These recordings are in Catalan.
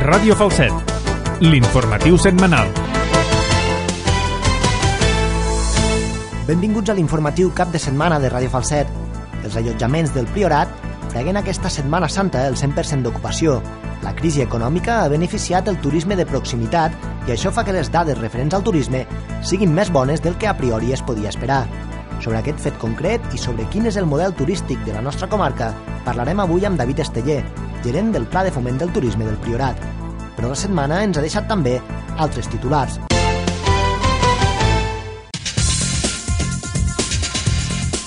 Ràdio Falset, l'informatiu setmanal. Benvinguts a l'informatiu cap de setmana de Ràdio Falset. Els allotjaments del Priorat preguen aquesta Setmana Santa el 100% d'ocupació. La crisi econòmica ha beneficiat el turisme de proximitat i això fa que les dades referents al turisme siguin més bones del que a priori es podia esperar. Sobre aquest fet concret i sobre quin és el model turístic de la nostra comarca parlarem avui amb David Esteller, gerent del Pla de Foment del Turisme del Priorat. Però la setmana ens ha deixat també altres titulars.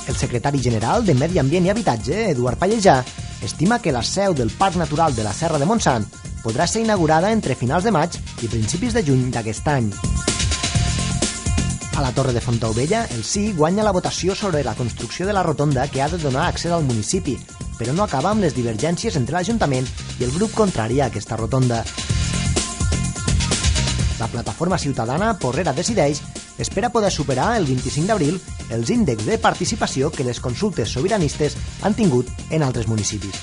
El secretari general de Medi Ambient i Habitatge, Eduard Pallejà, estima que la seu del Parc Natural de la Serra de Montsant podrà ser inaugurada entre finals de maig i principis de juny d'aquest any. A la Torre de Fontaubella, el sí guanya la votació sobre la construcció de la rotonda que ha de donar accés al municipi, però no acaba amb les divergències entre l'Ajuntament i el grup contrari a aquesta rotonda. La plataforma ciutadana Porrera Decideix espera poder superar el 25 d'abril els índexs de participació que les consultes sobiranistes han tingut en altres municipis.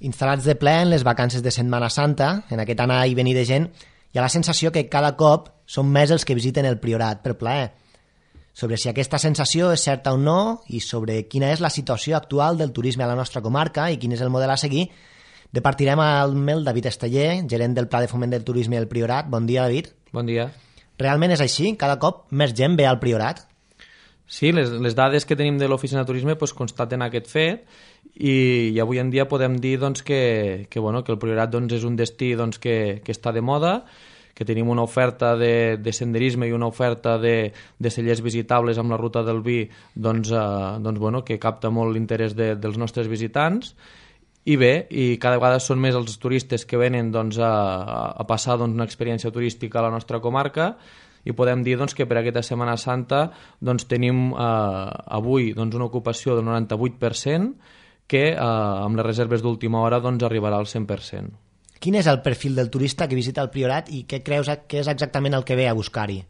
Instal·lats de ple en les vacances de Setmana Santa, en aquest anar i venir de gent, hi ha la sensació que cada cop són més els que visiten el Priorat per plaer. Sobre si aquesta sensació és certa o no i sobre quina és la situació actual del turisme a la nostra comarca i quin és el model a seguir, departirem amb el David Esteller, gerent del Pla de Foment del Turisme del Priorat. Bon dia, David. Bon dia. Realment és així? Cada cop més gent ve al Priorat? Sí, les dades que tenim de l'Oficina de Turisme constaten aquest fet i avui en dia podem dir que el Priorat és un destí que està de moda, que tenim una oferta de senderisme i una oferta de cellers visitables amb la ruta del vi que capta molt l'interès dels nostres visitants. I bé, i cada vegada són més els turistes que venen a passar una experiència turística a la nostra comarca i podem dir que per aquesta Setmana Santa tenim avui una ocupació del 98% que amb les reserves d'última hora arribarà al 100%. Quin és el perfil del turista que visita el Priorat i què creus que és exactament el que ve a buscar-hi?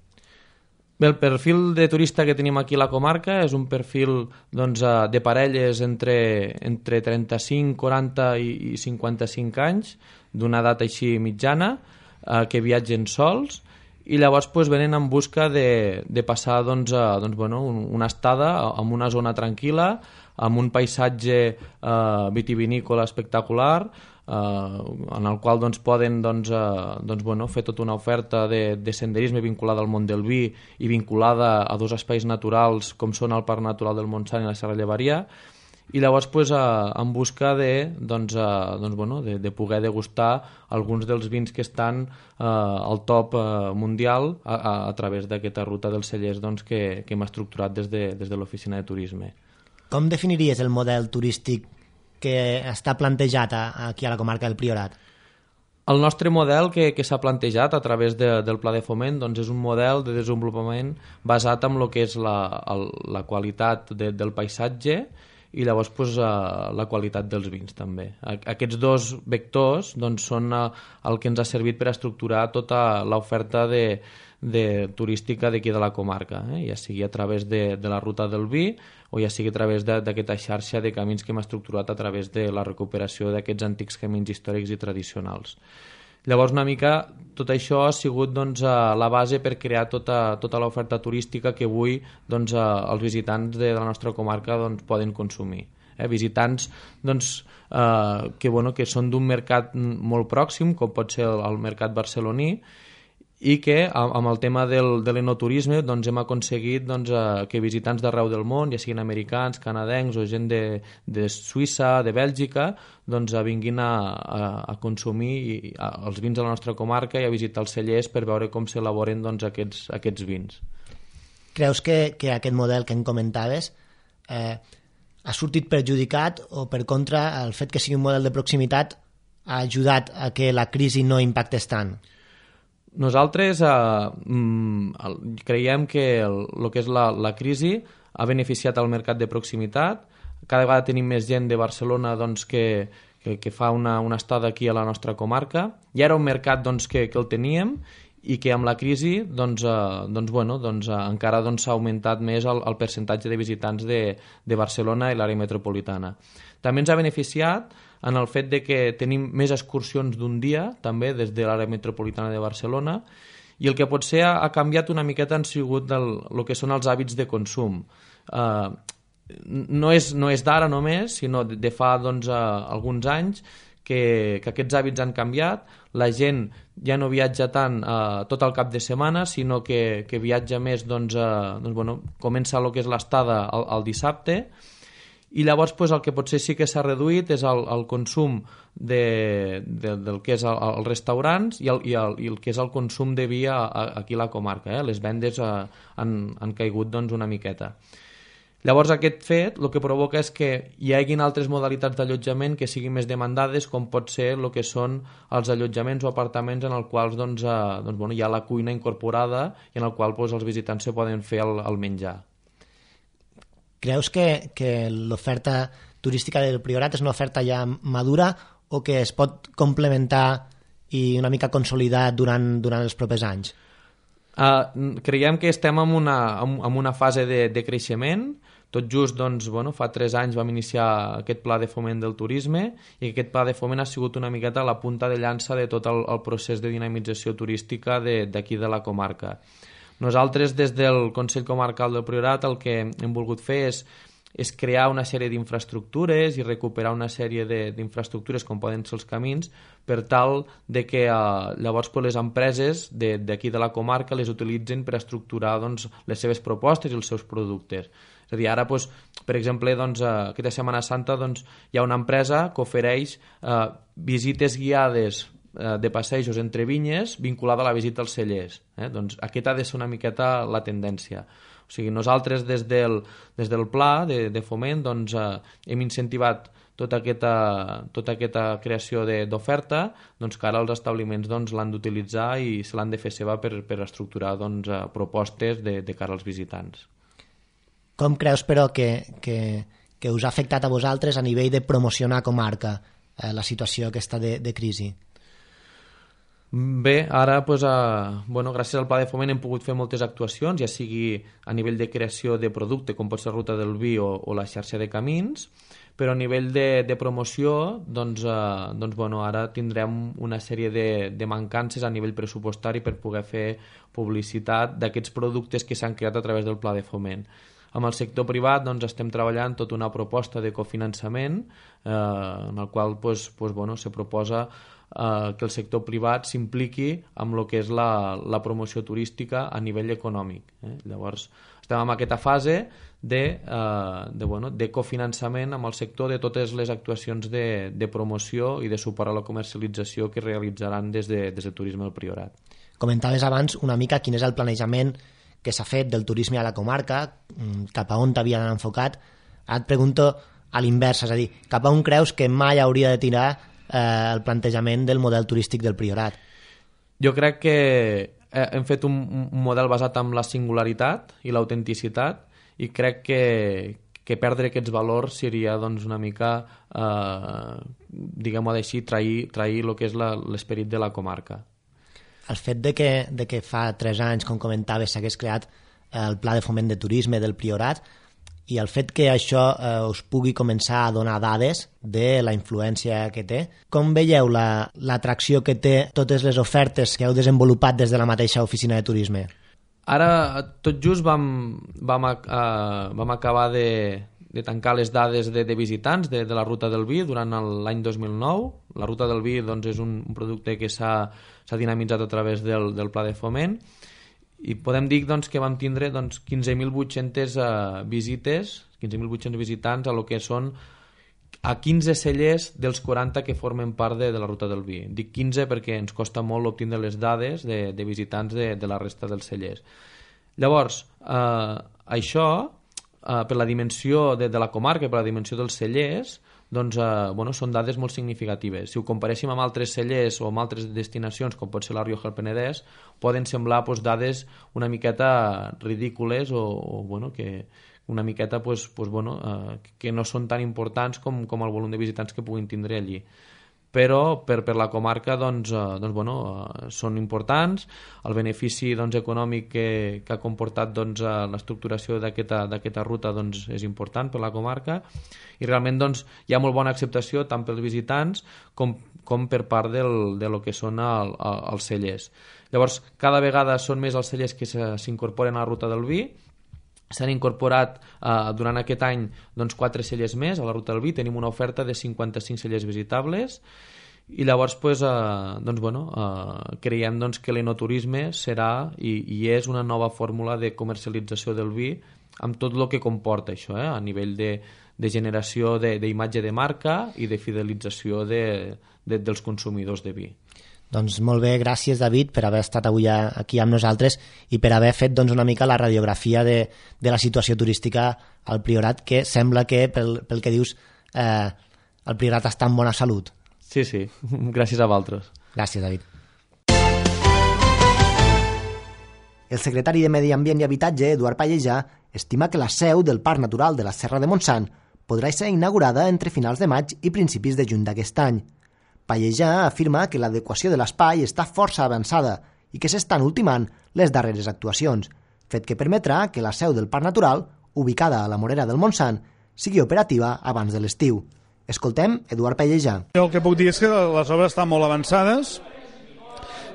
Bé, el perfil de turista que tenim aquí a la comarca és un perfil de parelles entre 35, 40 i 55 anys, d'una edat així mitjana, que viatgen sols i llavors venen en busca de passar una estada en una zona tranquil·la, amb un paisatge vitivinícola espectacular, en el qual poden fer tota una oferta de senderisme vinculada al món del vi i vinculada a dos espais naturals com són el Parc Natural del Montsant i la Serra Llevaria, i llavors en busca de poder degustar alguns dels vins que estan al top mundial a través d'aquesta ruta dels cellers que hem estructurat des de l'Oficina de Turisme. Com definiries el model turístic que està plantejat aquí a la comarca del Priorat? El nostre model que s'ha plantejat a través del Pla de Foment és un model de desenvolupament basat en el que és la qualitat del paisatge i llavors la qualitat dels vins també. Aquests dos vectors són el que ens ha servit per estructurar tota l'oferta turística d'aquí de la comarca, ja sigui a través de la ruta del vi o ja sigui a través d'aquesta xarxa de camins que hem estructurat a través de la recuperació d'aquests antics camins històrics i tradicionals. Llavors una mica tot això ha sigut la base per crear tota l'oferta turística que avui els visitants de la nostra comarca poden consumir. Visitants que són d'un mercat molt pròxim, com pot ser el mercat barceloní, i que amb el tema de l'enoturisme hem aconseguit que visitants d'arreu del món, ja siguin americans, canadencs o gent de Suïssa, de Bèlgica, vinguin a consumir els vins de la nostra comarca i a visitar els cellers per veure com s'elaboren aquests vins. Creus que aquest model que em comentaves ha sortit perjudicat o per contra el fet que sigui un model de proximitat ha ajudat a que la crisi no impactés tant? Nosaltres creiem que el que és la crisi ha beneficiat al mercat de proximitat. Cada vegada tenim més gent de Barcelona que fa una estada aquí a la nostra comarca. Ja era un mercat que el teníem i que amb la crisi encara s'ha augmentat més el percentatge de visitants de Barcelona i l'àrea metropolitana. També ens ha beneficiat en el fet de que tenim més excursions d'un dia, també des de l'àrea metropolitana de Barcelona, i el que potser ha canviat una miqueta han sigut el que són els hàbits de consum. No és d'ara només, sinó de fa alguns anys que aquests hàbits han canviat. La gent ja no viatja tant tot el cap de setmana, sinó que viatja més, comença el que és l'estada el dissabte, i llavors el que potser sí que s'ha reduït és el consum del que és els restaurants i el que és el consum de vi aquí a la comarca. Les vendes han caigut una miqueta. Llavors aquest fet el que provoca és que hi hagin altres modalitats d'allotjament que siguin més demandades, com pot ser el que són els allotjaments o apartaments en els quals hi ha la cuina incorporada i en el qual els visitants se poden fer el menjar. Creus que l'oferta turística del Priorat és una oferta ja madura o que es pot complementar i una mica consolidar durant els propers anys? Creiem que estem en una fase de creixement. Tot just fa 3 anys vam iniciar aquest pla de foment del turisme i aquest pla de foment ha sigut una miqueta la punta de llança de tot el procés de dinamització turística d'aquí de la comarca. Nosaltres des del Consell Comarcal del Priorat el que hem volgut fer és crear una sèrie d'infraestructures i recuperar una sèrie d'infraestructures com poden ser els camins per tal de que llavors les empreses d'aquí de la comarca les utilitzen per estructurar les seves propostes i els seus productes. És a dir, ara, per exemple, aquesta Setmana Santa hi ha una empresa que ofereix visites guiades de passejos entre vinyes vinculada a la visita als cellers. Aquesta ha de ser una miqueta la tendència. O sigui, nosaltres des del pla de foment hem incentivat tota aquesta creació d'oferta que ara els establiments l'han d'utilitzar i se l'han de fer seva per estructurar propostes de cara als visitants. Com creus, però, que us ha afectat a vosaltres a nivell de promocionar comarca la situació aquesta de crisi? Bé, ara gràcies al pla de foment hem pogut fer moltes actuacions, ja sigui a nivell de creació de producte com pot ser Ruta del Vi o la xarxa de camins, però a nivell de promoció ara tindrem una sèrie de mancances a nivell pressupostari per poder fer publicitat d'aquests productes que s'han creat a través del pla de foment. Amb el sector privat estem treballant tota una proposta de cofinançament en el qual se proposa que el sector privat s'impliqui amb el que és la promoció turística a nivell econòmic. Llavors estem en aquesta fase de cofinançament amb el sector de totes les actuacions de promoció i de suport a la comercialització que realitzaran des de Turisme del Priorat. Comentaves abans una mica quin és el planejament que s'ha fet del turisme a la comarca, cap a on t'havia d'anar enfocat. Ara et pregunto a l'inversa, és a dir, cap a on creus que mai hauria de tirar el plantejament del model turístic del Priorat? Jo crec que hem fet un model basat en la singularitat i l'autenticitat i crec que perdre aquests valors seria una mica, diguem-ho així, trair el que és l'esperit de la comarca. El fet de que fa 3 anys, com comentaves, s'hagués creat el Pla de Foment de Turisme del Priorat i el fet que això us pugui començar a donar dades de la influència que té, com veieu l'atracció que té totes les ofertes que heu desenvolupat des de la mateixa oficina de turisme? Ara, tot just vam acabar de tancar les dades de visitants de la Ruta del Vi durant l'any 2009. La Ruta del Vi és un producte que s'ha dinamitzat a través del Pla de Foment i podem dir que vam tindre 15.800 visites, 15.800 visitants a lo que són a 15 cellers dels 40 que formen part de la Ruta del Vi. Dic 15 perquè ens costa molt obtindre les dades de visitants de la resta dels cellers. Llavors, això, per la dimensió de la comarca i per la dimensió dels cellers, són dades molt significatives. Si ho comparéssim amb altres cellers o amb altres destinacions, com pot ser la Rioja al Penedès, poden semblar dades una miqueta ridícules o que una miqueta que no són tan importants com el volum de visitants que puguin tindre allí. però per la comarca són importants. El benefici econòmic que ha comportat l'estructuració d'aquesta ruta és important per la comarca, i realment hi ha molt bona acceptació tant pels visitants com per part de lo que són els cellers. Llavors, cada vegada són més els cellers que s'incorporen a la ruta del vi. S'han incorporat durant aquest any 4 cellers més a la ruta del vi. Tenim una oferta de 55 cellers visitables, i llavors creiem que l'enoturisme serà i és una nova fórmula de comercialització del vi, amb tot el que comporta això, a nivell de generació d'imatge de marca i de fidelització dels consumidors de vi. Doncs molt bé, gràcies David per haver estat avui aquí amb nosaltres i per haver fet una mica la radiografia de la situació turística al Priorat, que sembla que, pel que dius, el Priorat està en bona salut. Sí, gràcies a vosaltres. Gràcies, David. El secretari de Medi Ambient i Habitatge, Eduard Pallejà, estima que la seu del Parc Natural de la Serra de Montsant podrà ser inaugurada entre finals de maig i principis de juny d'aquest any. Pallejà afirma que l'adequació de l'espai està força avançada i que s'estan ultimant les darreres actuacions, fet que permetrà que la seu del Parc Natural, ubicada a la Morera del Montsant, sigui operativa abans de l'estiu. Escoltem Eduard Pallejà. El que puc dir és que les obres estan molt avançades.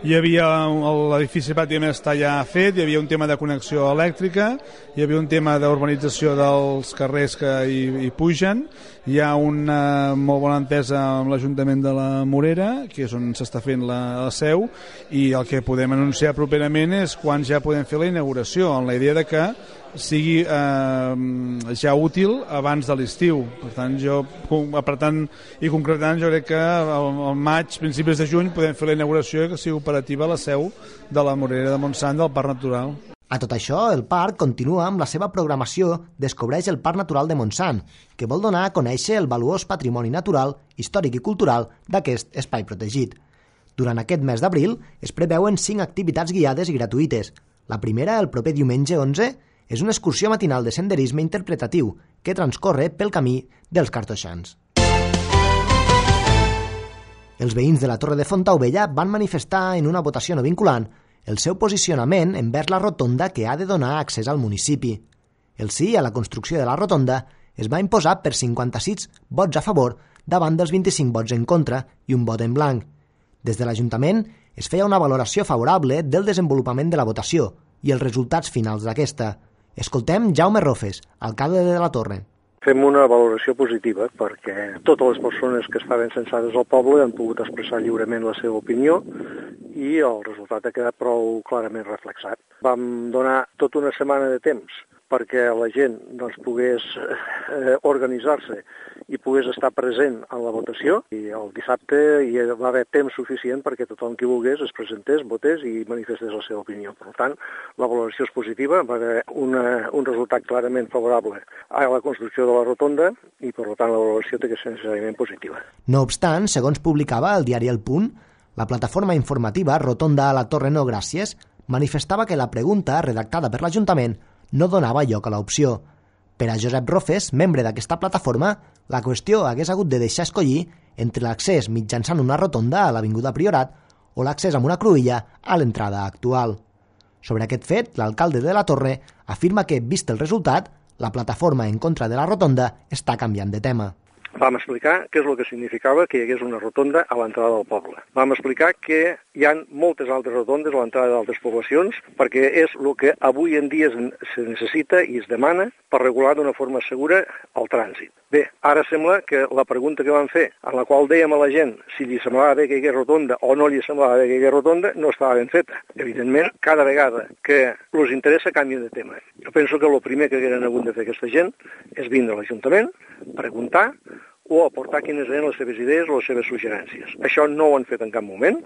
L'edifici pràcticament està ja fet, hi havia un tema de connexió elèctrica, hi havia un tema d'urbanització dels carrers que hi pugen, hi ha una molt bona entesa amb l'Ajuntament de la Morera, que és on s'està fent la seu, i el que podem anunciar properament és quan ja podem fer la inauguració, amb la idea de que sigui ja útil abans de l'estiu. Per tant, apretant i concretant, jo crec que al maig, principis de juny, podem fer la inauguració i que sigui operativa la seu de la Morera de Montsant del Parc Natural. A tot això, el parc continua amb la seva programació Descobreix el Parc Natural de Montsant, que vol donar a conèixer el valuós patrimoni natural, històric i cultural d'aquest espai protegit. Durant aquest mes d'abril es preveuen 5 activitats guiades i gratuïtes. La primera, el proper diumenge 11, és una excursió matinal de senderisme interpretatiu que transcorre pel camí dels Cartoixans. Els veïns de la Torre de Fontaubella van manifestar en una votació no vinculant el seu posicionament envers la rotonda que ha de donar accés al municipi. El sí a la construcció de la rotonda es va imposar per 56 vots a favor davant dels 25 vots en contra i un vot en blanc. Des de l'Ajuntament es feia una valoració favorable del desenvolupament de la votació i els resultats finals d'aquesta. Escoltem Jaume Rofes, alcalde de la Torre. Fem una valoració positiva perquè totes les persones que estaven censades al poble han pogut expressar lliurement la seva opinió i el resultat ha quedat prou clarament reflexat. Vam donar tota una setmana de temps perquè la gent pogués organitzar-se i pogués estar present en la votació, i el dissabte hi va haver temps suficient perquè tothom qui volgués es presentés, votés i manifestés la seva opinió. Per tant, la valoració és positiva, va haver un resultat clarament favorable a la construcció de la rotonda i, per tant, la valoració té que ser necessàriament positiva. No obstant, segons publicava el diari El Punt, la plataforma informativa Rotonda a la Torre No Gràcies manifestava que la pregunta redactada per l'Ajuntament no donava lloc a l'opció. Per a Josep Rofes, membre d'aquesta plataforma, la qüestió hagués hagut de deixar escollir entre l'accés mitjançant una rotonda a l'Avinguda Priorat o l'accés amb una cruïlla a l'entrada actual. Sobre aquest fet, l'alcalde de la Torre afirma que, vist el resultat, la plataforma en contra de la rotonda està canviant de tema. Vam explicar què és el que significava que hi hagués una rotonda a l'entrada del poble. Vam explicar que hi ha moltes altres rotondes a l'entrada d'altres poblacions perquè és el que avui en dia se necessita i es demana per regular d'una forma segura el trànsit. Bé, ara sembla que la pregunta que vam fer, en la qual dèiem a la gent si li semblava bé que hi hagués rotonda o no li semblava bé que hi hagués rotonda, no estava ben feta. Evidentment, cada vegada que els interessa canvien de tema. Jo penso que el primer que hagueren hagut de fer aquesta gent és vindre a l'Ajuntament, preguntar o aportar quines eren les seves idees o les seves suggerències. Això no ho han fet en cap moment.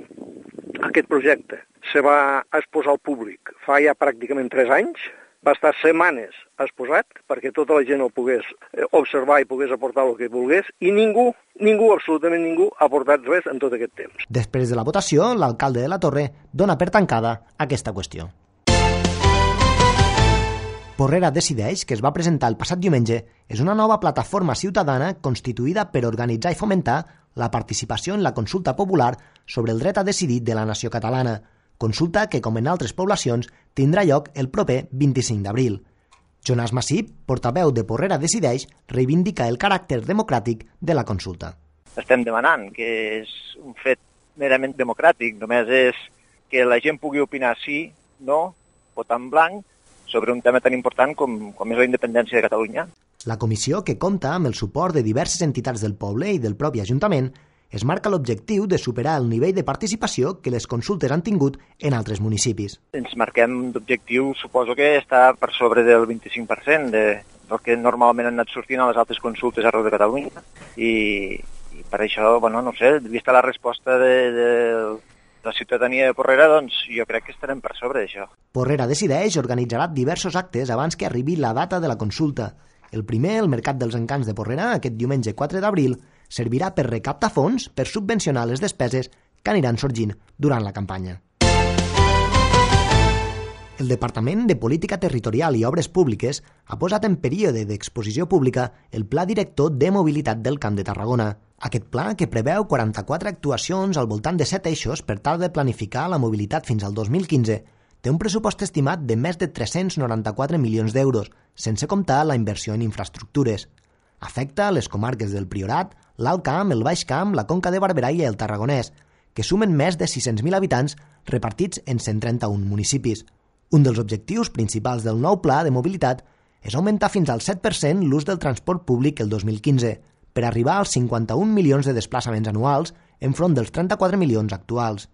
Aquest projecte se va exposar al públic fa ja pràcticament 3 anys, va estar setmanes exposat perquè tota la gent el pogués observar i pogués aportar el que volgués i ningú, absolutament ningú, ha aportat res en tot aquest temps. Després de la votació, l'alcalde de la Torre dona per tancada aquesta qüestió. Porrera Decideix, que es va presentar el passat diumenge, és una nova plataforma ciutadana constituïda per organitzar i fomentar la participació en la consulta popular sobre el dret a decidir de la nació catalana, consulta que, com en altres poblacions, tindrà lloc el proper 25 d'abril. Jonas Masip, portaveu de Porrera Decideix, reivindica el caràcter democràtic de la consulta. Estem demanant que és un fet merament democràtic, només és que la gent pugui opinar sí, no, votar en blanc, sobre un tema tan important com és la independència de Catalunya. La comissió, que compta amb el suport de diverses entitats del poble i del propi Ajuntament, es marca l'objectiu de superar el nivell de participació que les consultes han tingut en altres municipis. Ens marquem d'objectiu, suposo que està per sobre del 25% del que normalment han anat sortint a les altres consultes arreu de Catalunya. I per això, no sé, vista la resposta de la ciutadania de Porrera, doncs jo crec que estarem per sobre d'això. Porrera Decideix organitzarà diversos actes abans que arribi la data de la consulta. El primer, el Mercat dels Encants de Porrera, aquest diumenge 4 d'abril, servirà per recaptar fons per subvencionar les despeses que aniran sorgint durant la campanya. El Departament de Política Territorial i Obres Públiques ha posat en període d'exposició pública el Pla Director de Mobilitat del Camp de Tarragona. Aquest pla, que preveu 44 actuacions al voltant de 7 eixos per tal de planificar la mobilitat fins al 2015, té un pressupost estimat de més de 394 milions d'euros, sense comptar la inversió en infraestructures. Afecta les comarques del Priorat, l'Alt Camp, el Baix Camp, la Conca de Barberà i el Tarragonès, que sumen més de 600.000 habitants repartits en 131 municipis. Un dels objectius principals del nou pla de mobilitat és augmentar fins al 7% l'ús del transport públic el 2015, per arribar als 51 milions de desplaçaments anuals enfront dels 34 milions actuals.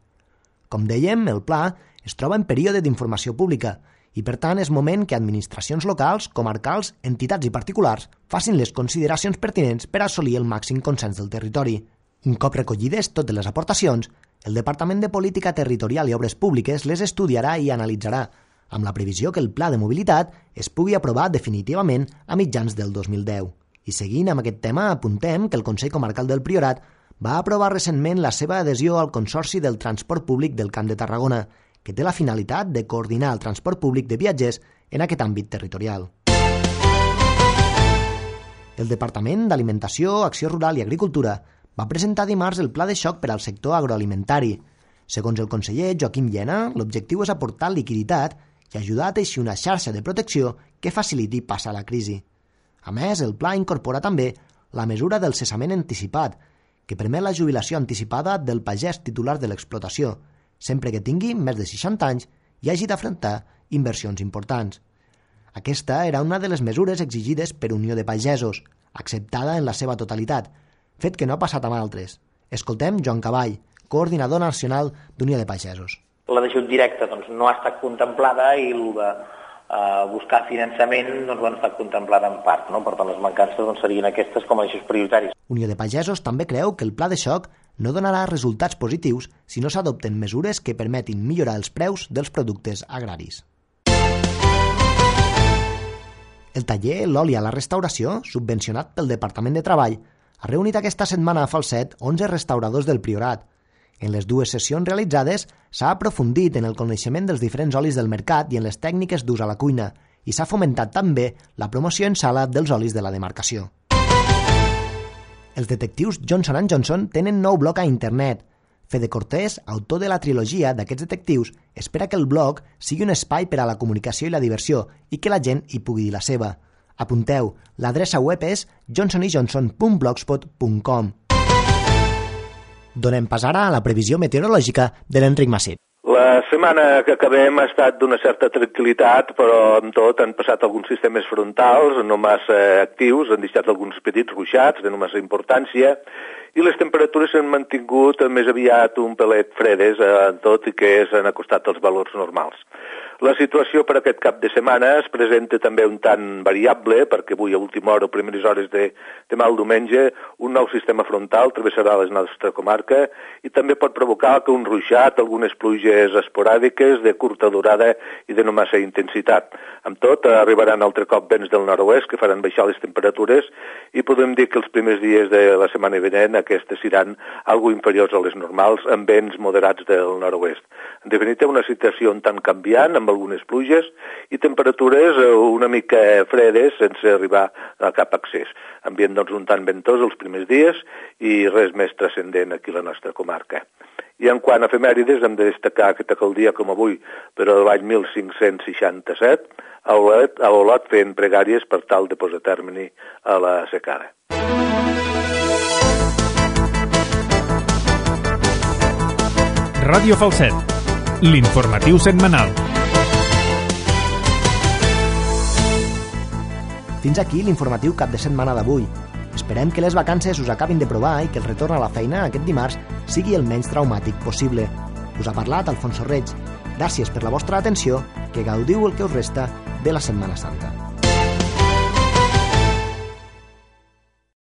Com dèiem, el pla es troba en període d'informació pública i, per tant, és moment que administracions locals, comarcals, entitats i particulars facin les consideracions pertinents per assolir el màxim consens del territori. Un cop recollides totes les aportacions, el Departament de Política Territorial i Obres Públiques les estudiarà i analitzarà, amb la previsió que el pla de mobilitat es pugui aprovar definitivament a mitjans del 2010. I seguint amb aquest tema, apuntem que el Consell Comarcal del Priorat va aprovar recentment la seva adhesió al Consorci del Transport Públic del Camp de Tarragona, que té la finalitat de coordinar el transport públic de viatgers en aquest àmbit territorial. El Departament d'Alimentació, Acció Rural i Agricultura va presentar dimarts el Pla de Xoc per al sector agroalimentari. Segons el conseller Joaquim Llena, l'objectiu és aportar liquiditat i ajudar a teixir una xarxa de protecció que faciliti passar la crisi. A més, el pla incorpora també la mesura del cessament anticipat, que permet la jubilació anticipada del pagès titular de l'explotació, sempre que tingui més de 60 anys i hagi d'afrontar inversions importants. Aquesta era una de les mesures exigides per Unió de Pagesos, acceptada en la seva totalitat, fet que no ha passat amb altres. Escoltem Joan Cavall, coordinador nacional d'Unió de Pagesos. La d'ajut directe no ha estat contemplada i el de buscar finançament ha estat contemplada en part. Per tant, les mancances serien aquestes com a eixos prioritaris. Unió de Pagesos també creu que el pla de xoc no donarà resultats positius si no s'adopten mesures que permetin millorar els preus dels productes agraris. El taller L'oli a la restauració, subvencionat pel Departament de Treball, ha reunit aquesta setmana a Falset 11 restauradors del Priorat. En les dues sessions realitzades s'ha aprofundit en el coneixement dels diferents olis del mercat i en les tècniques d'ús a la cuina i s'ha fomentat també la promoció en sala dels olis de la demarcació. Els detectius Johnson & Johnson tenen nou blog a internet. Fede Cortés, autor de la trilogia d'aquests detectius, espera que el blog sigui un espai per a la comunicació i la diversió i que la gent hi pugui dir la seva. Apunteu, l'adreça web és johnsonyjohnson.blogspot.com. Donem pas ara a la previsió meteorològica de l'Enric Masip. La setmana que acabem ha estat d'una certa tranquil·litat, però amb tot han passat alguns sistemes frontals no massa actius, han deixat alguns petits ruixats de no massa importància, i les temperatures s'han mantingut més aviat un pelet fredes, tot i que s'han acostat als valors normals. La situació per aquest cap de setmana es presenta també un tant variable, perquè avui a última hora o primeres hores de demà al diumenge un nou sistema frontal travessarà la nostra comarca i també pot provocar que un ruixat, algunes pluges esporàdiques de curta durada i de no massa intensitat. Amb tot, arribaran altre cop vents del nord-oest que faran baixar les temperatures i podem dir que els primers dies de la setmana vinent aquestes seran algo inferiors a les normals amb vents moderats del nord-oest. En definitiva, una situació un tant canviant, amb algunes pluges i temperatures una mica fredes sense arribar a cap accés. Ambient doncs un tant ventós els primers dies i res més transcendent aquí a la nostra comarca. I en quant a efemèrides, hem de destacar que tal dia com avui, però de l'any 1567, a Olot fent pregàries per tal de posar termini a la secada. Ràdio Falset, l'informatiu setmanal. Fins aquí l'informatiu cap de setmana d'avui. Esperem que les vacances us acabin de provar i que el retorn a la feina aquest dimarts sigui el menys traumàtic possible. Us ha parlat Alfonso Reig. Gràcies per la vostra atenció, que gaudiu el que us resta de la Setmana Santa.